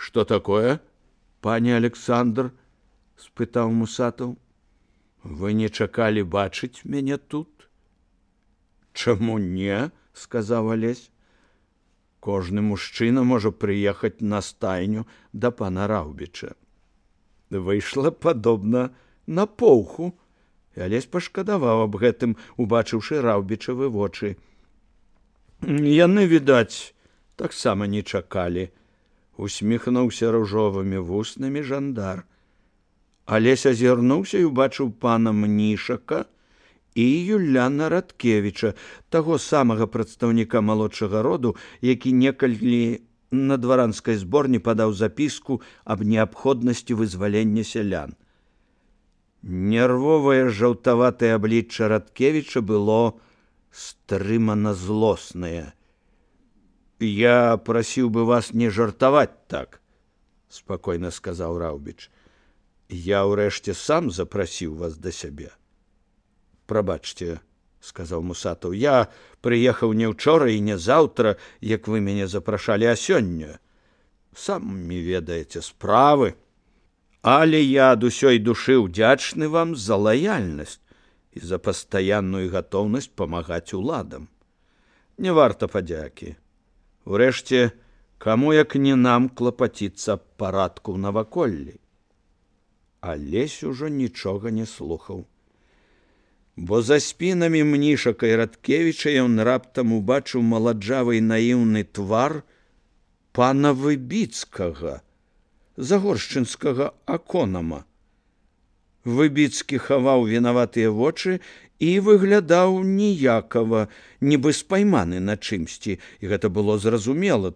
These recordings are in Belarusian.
Что такое, пане Александр? Спытаў Мусатаў. Вы не чакалі бачыць мяне тут? Чаму не? Сказаў Алесь. Кожны мужчына можа прыехаць на стайню да пана Раўбіча. Выйшла падобна на поўху. І Алесь пашкадаваў аб гэтым, убачыўшы Раўбічавы вочы. Яны, відаць, таксама не чакалі. Усміхнуўся ружовымі вуснамі жандар. Алесь азірнуўся і убачыў пана Мнішака і Юляна Радкевіча, таго самага прадстаўніка малодшага роду, які некалі на дваранскай зборні падаў запіску аб неабходнасці вызвалення сялян. Нервовае жаўтаватае аблічча Радкевіча было стрымана злоснае. «Я просіў бы вас не жартаваць так», – спакойна сказаў Раўбіч. «Я ўрэшце сам запрасіў вас да сябе». «Прабачце», – сказаў Мусатаў, – «я прыехаў не ўчора і не заўтра, як вы мяне запрашалі, а сёння. Самі ведаеце справы. Але я ад усёй душы ўдзячны вам за лаяльнасць і за пастаянную гатоўнасць памагаць уладам. Не варта падзякі. Урэшце, каму як не нам клапаціцца аб парадку ў наваколлі». Алесь ужо нічога не слухаў. Бо за спінамі Мнішака і Радкевіча ён раптам убачыў маладжавы і наіўны твар пана Выбіцкага, загоршчынскага аконама. Выбіцкі хаваў вінаватыя вочы і выглядаў ніякава, нібы спайманы на чымсьці, і гэта было зразумела,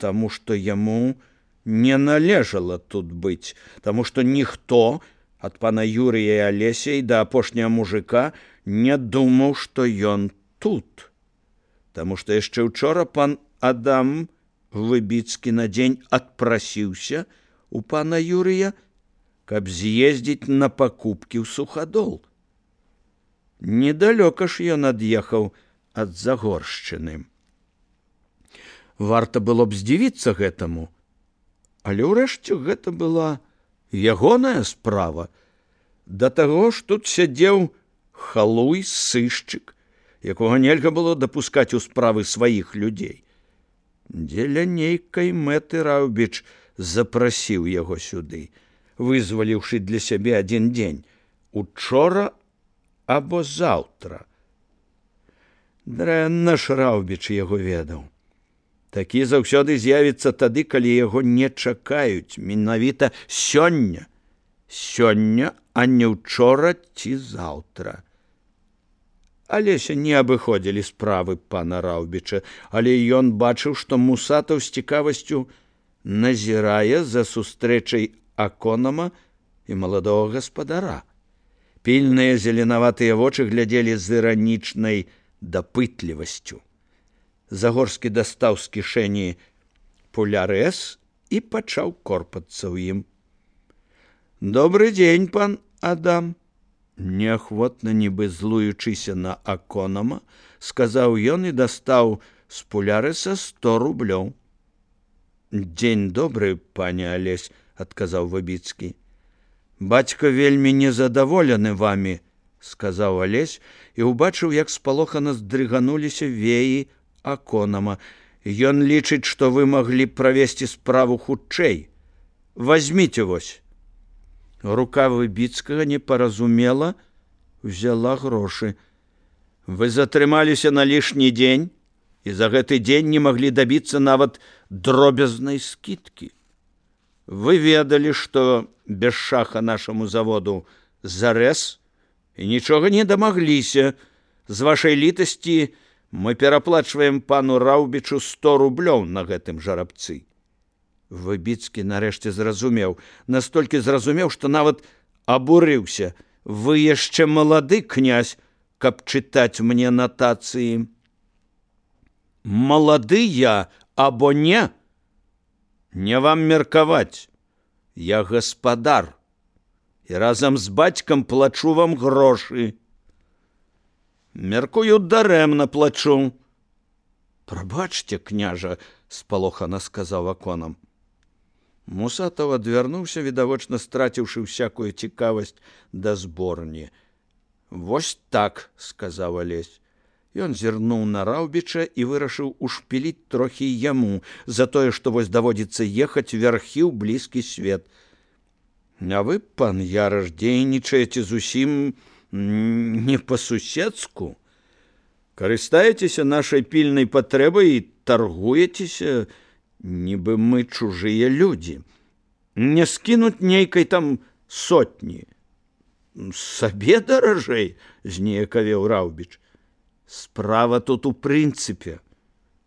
таму што яму не належала тут быць, таму што ніхто ад пана Юрыя і Алеся і да апошняга мужика не думаў, што ён тут. Таму што яшчэ ўчора пан Адам Выбіцкі на дзень адпрасіўся у пана Юрыя, каб з'ездзіць на пакупкі ў Сухадол. Недалёка ж ён ад'ехаў ад Загоршчыны. Варта было б здзівіцца гэтаму, але ўрэшце гэта была ягоная справа. Да таго ж тут сядзеў халуй, сышчык, якога нельга было дапускаць у справы сваіх людзей. Дзеля нейкай мэты Раўбіч запрасіў яго сюды, вызваліўшы для сябе адзін дзень, учора або заўтра. Дрэнна ж Раўбіч яго ведаў. Такі заўсёды з'явіцца тады, калі яго не чакаюць, менавіта сёння. Сёння, а не ўчора ці заўтра. Алеся не абыходзілі справы пана Раўбіча, але ён бачыў, што Мусатаў з цікавасцю назірае за сустрэчай аконама і маладога гаспадара. Пільныя зеленаватыя вочы глядзелі з іранічнай дапытлівасцю. Загорскі дастаў з кішэні пулярэс і пачаў корпацца ў ім. «Добры дзень, пан Адам», – неахвотна, нібы злуючыся на аконама, сказаў ён і дастаў з пулярэса 100 рублёў. «Дзень добры, пане Алесь», – адказаў Выбіцкі. «Бацька вельмі незадаволены вамі», – сказаў Алесь і ўбачыў, як спалохана здрыгануліся веі аконама. «Ён лічыць, што вы маглі правесці справу хутчэй. Вазьміце вось». Рука Выбіцкага непаразумела взяла грошы. «Вы затрымаліся на лішні дзень і за гэты дзень не маглі дабіцца нават дробязнай скідкі. Вы ведалі, што без шаха нашаму заводу зарэз і нічога не дамагліся. З вашай літасці мы пераплачваем пану Раўбічу 100 рублёў на гэтым жарабцы». Выбіцкі нарэшце зразумеў, настолькі зразумеў, што нават абурыўся. «Вы яшчэ малады, князь, каб чытаць мне натацыі». «Малады я або не? Не вам меркаваць. Я гаспадар і разам з бацькам плачу вам грошы». «Меркую, дарэмна плачу». «Прабачце, княжа», – спалохана сказаў аконам. Мусатаў адвярнуўся, відавочна страціўшы всякую цікавасць да зборні. «Вось так», — сказаў Алесь. Ён зірнуў на Раўбіча і вырашыў ушпіліць трохі яму за тое, што вось даводзіцца ехаць вярхі ў блізкі свет. «А вы, пан Яраш, дзейнічаеце зусім не па-суседску. Карыстаецеся нашай пільнай патрэбай і таргуецеся, нібы мы чужыя людзі. Не скінуць нейкай там сотні». «Сабе даражэй», — зніякавеў Раўбіч. «Справа тут у прынцыпе.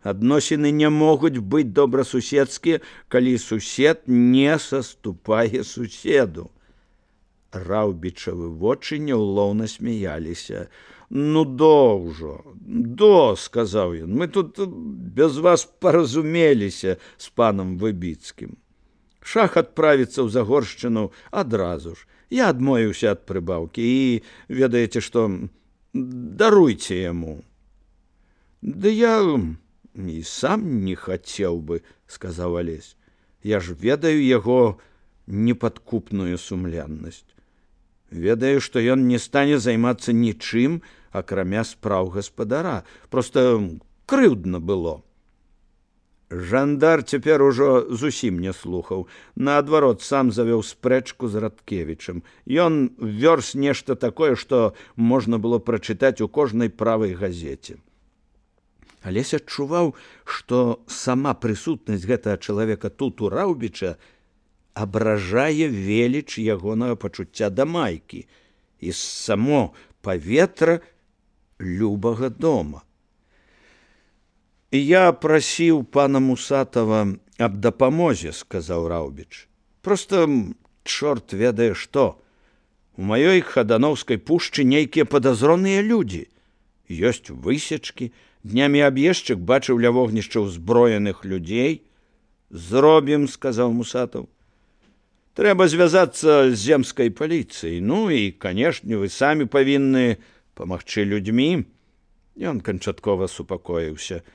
Адносіны не могуць быць добрасуседскія, калі сусед не саступае суседу». Раўбічавы вочы няўлоўна смяяліся. «Ну, ўжо, сказаў ён, мы тут без вас паразумеліся з панам Выбіцкім. Шах адправіцца ў Загоршчыну адразу ж. Я адмовіўся ад прыбаўкі і, ведаеце што, даруйце яму». «Да я і сам не хацеў бы», — сказаў Алесь. «Я ж ведаю яго непадкупную сумленнасць. Ведаю, што ён не стане займацца нічым, акрамя спраў гаспадара. Проста крыўдна было». Жандар цяпер ужо зусім не слухаў. Наадварот, сам завёў спрэчку з Радкевічам. Ён вёрз нешта такое, што можна было прачытаць у кожнай правай газеце. Алесь адчуваў, што сама прысутнасць гэтага чалавека тут у Раўбіча абражае веліч ягонага пачуцця да майкі і само паветра любага дома. «Я прасіў пана Мусатава аб дапамозе», — сказаў Раўбіч. «Проста чорт ведае што. У маёй Хадановскай пушчы нейкія падазроныя людзі. Ёсць высечкі, днямі аб'ездчык бачыў ля вогнішча ўзброеных людзей». «Зробім», — сказаў Мусатаў. «Трэба звязацца з земскай паліцыяй. Ну і, канешне, вы самі павінны памагчы людзьмі». Ён канчаткова супакоіўся.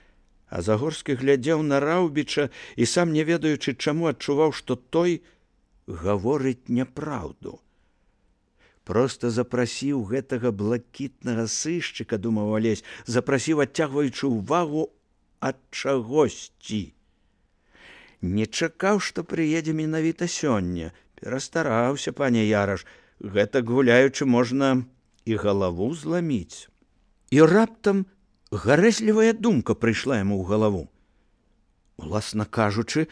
А Загорскі глядзеў на Раўбіча і сам, не ведаючы чаму, адчуваў, што той гаворыць няпраўду. Проста запрасіў гэтага блакітнага сышчыка, думаў Алесь, запрасіў, адцягваючы ўвагу ад чагосьці. Не чакаў, што прыедзе менавіта сёння. Перастараўся, пане Яраш, гэтак гуляючы можна і галаву зламіць. І раптам гарэзлівая думка прыйшла яму ў галаву. Уласна кажучы,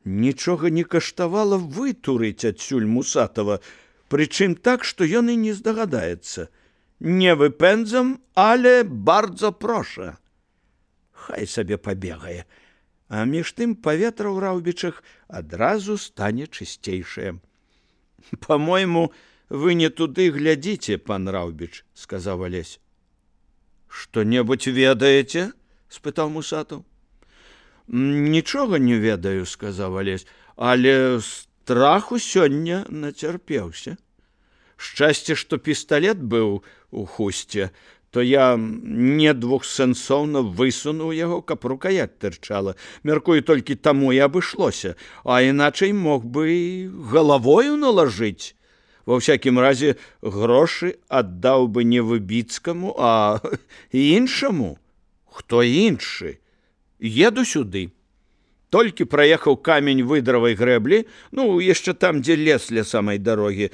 нічога не каштавала вытурыць адсюль Мусатава, прычым так, што ён і не здагадаецца. «Не выпэндзам, але бардзо проша». Хай сабе пабегае. А між тым паветра ў Раўбічах адразу стане чысцейшае. «Па-мойму, вы не туды глядзіце, пан Раўбіч», — сказаў Алесь. «Што-небудзь ведаеце?» — спытаў Мусатаў. «Нічога не ведаю», — сказаў Алесь, «але страху сёння нацярпеўся. Шчасце, што пісталет быў у хусце, то я не двухсэнсоўна высунуў яго, каб рукаяць тырчала. Мяркую, толькі таму і абышлося, а іначай мог бы галавою налажыць. Ва ўсякім разе грошы аддаў бы не Выбіцкаму, а іншаму». «Хто іншы? Еду сюды. Толькі праехаў камень выдравай грэблі, ну, яшчэ там, дзе лес ля самай дарогі.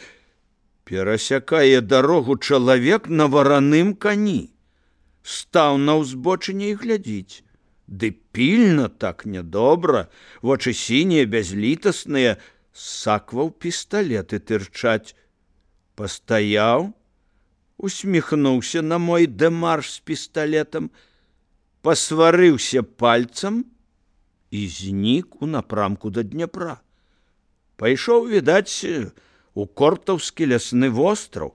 Перасякае дарогу чалавек на вараным кані. Стаў на ўзбочыне і глядзіць. Ды пільна, так нядобра, вочы сінія, бязлітасныя, сакваў пісталеты тырчаць. Пастаяў, усміхнуўся на мой дэмарш з пісталетам, пасварыўся пальцам і знік у напрамку да Дняпра. Пайшоў, відаць, у Кортаўскі лясны востраў.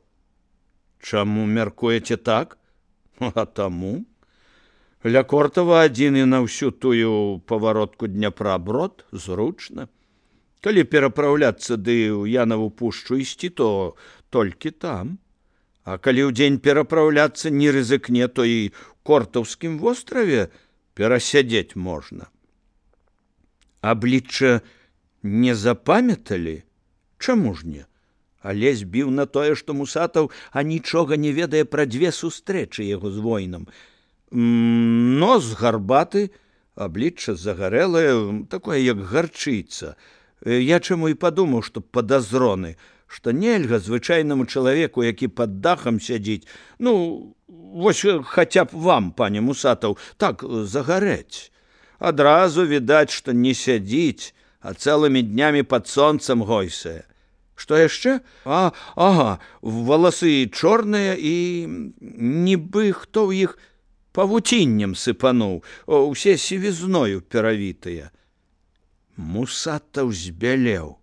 Чаму мяркуеце так? А таму. Ля Кортава адзін і на ўсю тую паваротку Дняпра брод зручна. Калі перапраўляцца ды ў Янаву пушчу ісці, то толькі там. А калі ўдзень перапраўляцца не рызыкне, то і Кортаўскім востраве перасядзець можна. Аблічча Не запамяталі? Чаму ж не? Алесь біў на тое, што Мусатаў анічога не ведае пра дзве сустрэчы яго з воінам. Нос гарбаты, аблічча загарэлае, такое, як гарчыца. Я чаму і падумаў, што падазроны, што нельга звычайнаму чалавеку, які пад дахам сядзіць, вось хаця б вам, пане Мусатаў, так загарэць. Адразу відаць, што не сядзіць, а цэлымі днямі пад сонцам гойсае. Што яшчэ? Ага, валасы чорныя і нібы хто ў іх павуціннем сыпануў, усе сівізною перавітыя. Мусатаў збялеў.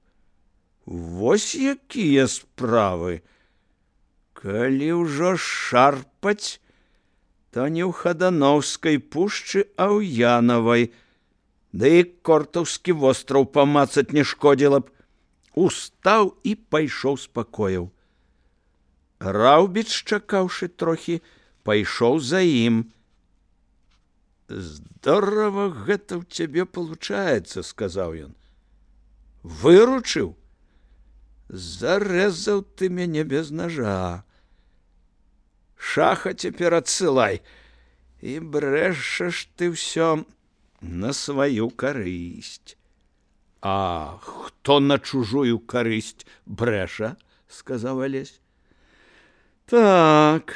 Вось якія справы. Калі ўжо шарпаць, то не ў Хадановскай пушчы, а ў Янавай. Да і Кортаўскі востраў памацаць не шкодзіла б. Устаў і пайшоў з пакояў. Раўбіч, чакаўшы трохі, пайшоў за ім. Здорава гэта ў цябе получаецца, сказаў ён. Выручыў? Зарэзаў ты мяне без ножа. Шаха цяпер адсылай. І брэшаш ты ўсё на сваю карысць. А хто на чужую карысць брэша? Сказаў Алесь. Так,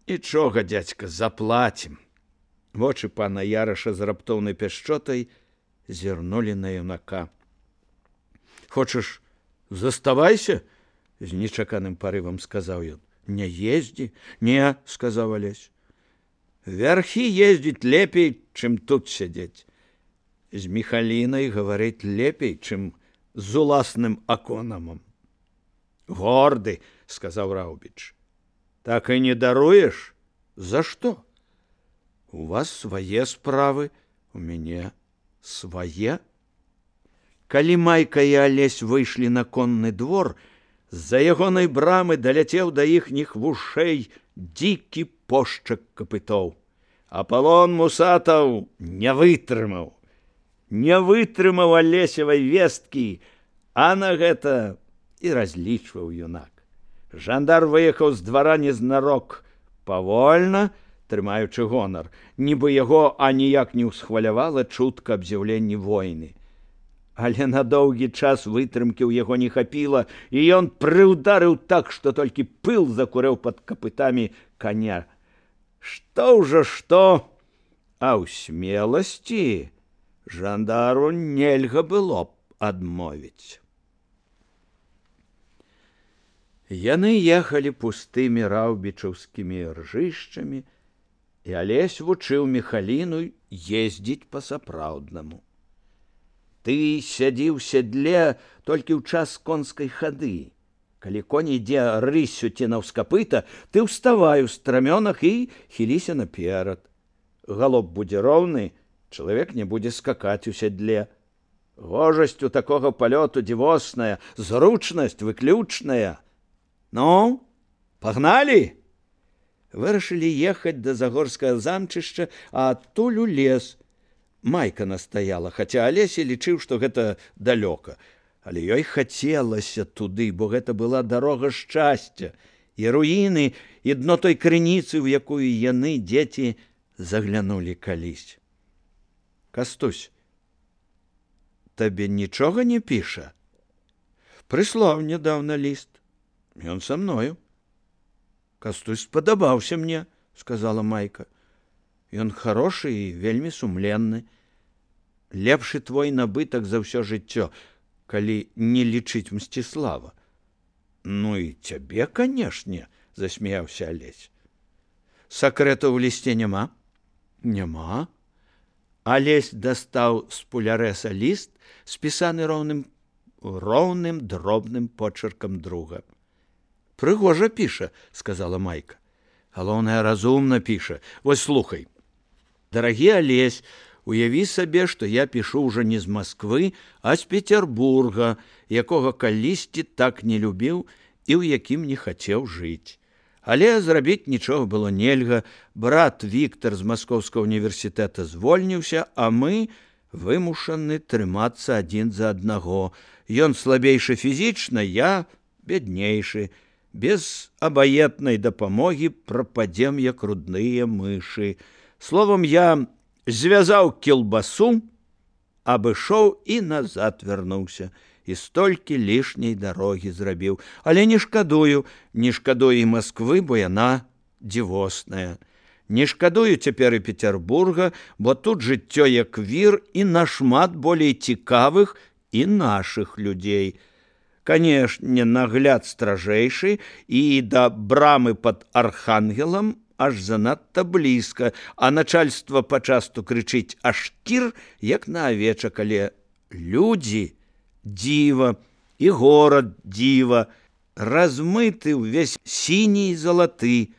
нічога, дзядзька, заплацім. Вочы пана Яраша з раптоўнай пяшчотай зірнулі на юнака. Хочаш, заставайся? З нечаканым парывам сказаў ён. Не ездзі? Не, сказаў Алесь. Вярхі ездзіць лепей, чым тут сядзець. З Міхалінай гаварыць лепей, чым з уласным аконамам. Горды, сказаў Раўбіч. Так і не даруеш? За што? У вас свае справы, у мяне свае. Калі Майка і Алесь выйшлі на конны двор, з-за ягонай брамы даляцеў да іхніх вушэй дзікі пошчак капытоў. Апалон Мусатаў не вытрымаў. Не вытрымаў Алесевай весткі, а на гэта і разлічваў юнак. Жандар выехаў з двара незнарок, павольна, трымаючы гонар, нібы яго аніяк не ўсхвалявала чутка аб з'яўленні войны. Але на доўгі час вытрымкі ў яго не хапіла, і ён прыўдарыў так, што толькі пыл закурэў пад капытамі каня. Што ўжо што, а ў смеласці жандару нельга было б адмовіць. Яны ехалі пустымі раўбічаўскімі ржышчамі, і Алесь вучыў Міхаліну ездзіць па-сапраўднаму. Ты сядзі ў седле толькі ў час конскай хады. Калі конь ідзе рыссю ці наўскапыта, ты ўставай у страмёнах і хіліся наперад. Галоп будзе роўны, чалавек не будзе скакаць у седле. Гожасць у такога палёту дзівосная, зручнасць выключная. Ну, пагналі? Вырашылі ехаць да Загорскага замчышча, а адтуль у лес. Майка настаяла, хаця Алесь лічыў, што гэта далёка. Але ёй хацелася туды, бо гэта была дарога шчасця, і руіны, і дно той крыніцы, у якую яны, дзеці, заглянулі калісь. Кастусь, табе нічога не піша? Прыслаў нядаўна ліст. Ён са мною. Кастусь спадабаўся мне, сказала Майка. Ён харошы і вельмі сумленны. Лепшы твой набытак за ўсё жыццё, калі не лічыць Мсціслава. Ну і цябе, канешне, засмяяўся Алесь. Сакрэтаў у лісце няма? Няма. Алесь дастаў з пулярэса ліст, спісаны роўным дробным почеркам друга. Прыгожа піша, сказала Майка. Галоўнае, разумна піша. Вось слухай. Дарагі Алесь, уяві сабе, што я пішу ўжо не з Масквы, а з Петербурга, якога калісьці так не любіў і ў якім не хацеў жыць. Але зрабіць нічога было нельга. Брат Віктар з Маскоўскага універсітэта звольніўся, а мы вымушаны трымацца адзін за аднаго. Ён слабейшы фізічна, я бяднейшы. Без абаетнай дапамогі прападзем, як рудныя мышы. Словам, я звязаў кілбасу, абышоў і назад вярнуўся. І столькі лішняй дарогі зрабіў. Але не шкадую і Масквы, бо яна дзівосная. Не шкадую цяпер і Петербурга, бо тут жыццё як вір і нашмат болей цікавых і нашых людзей. Канешне, нагляд стражэйшы, і да брамы пад Архангелам аж занадта блізка, а начальства пачасту крычыць аж кір, як на авечак, але людзі дзіва, і горад дзіва, размыты ўвесь сіні і залаты,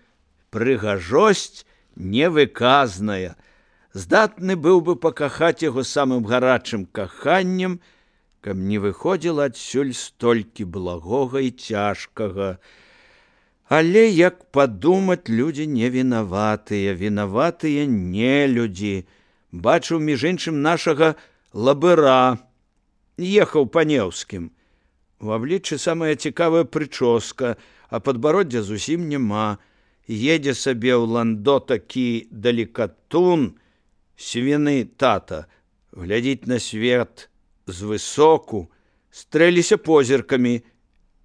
прыгажосць невыказная. Здатны быў бы пакахаць яго самым гарачым каханнем, каб не выходзіла адсюль столькі благога і цяжкага. Але, як падумаць, людзі не вінаватыя, вінаватыя не людзі. Бачыў, між іншым, нашага лабыра, ехаў па Неўскім. У абліччы самая цікавая прычоска, а падбароддзя зусім няма. Едзе сабе ў ландо такі далікатун, свіны тата, глядзіць на свет звысоку, стрэліся позіркамі.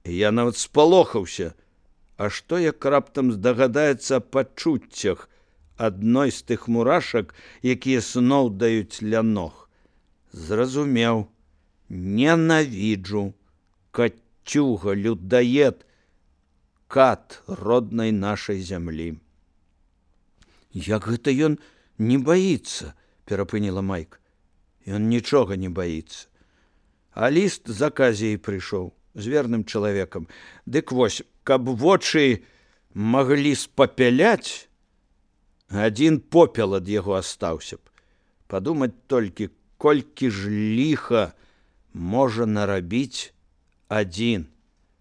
Я нават спалохаўся. А што, як раптам здагадаецца аб пачуццях адной з тых мурашак, якія сноў даюць ля ног? Зразумеў. Ненавіджу. Кацюга, людоед, кат роднай нашай зямлі. Як гэта ён не баіцца, перапыніла Майка. Ён нічога не баіцца. А ліст з аказіяй прыйшоў, з верным чалавекам. Дык вось, каб вочы маглі спапяляць, адзін попел ад яго астаўся б. Падумаць толькі, колькі ж ліха можа нарабіць адзін.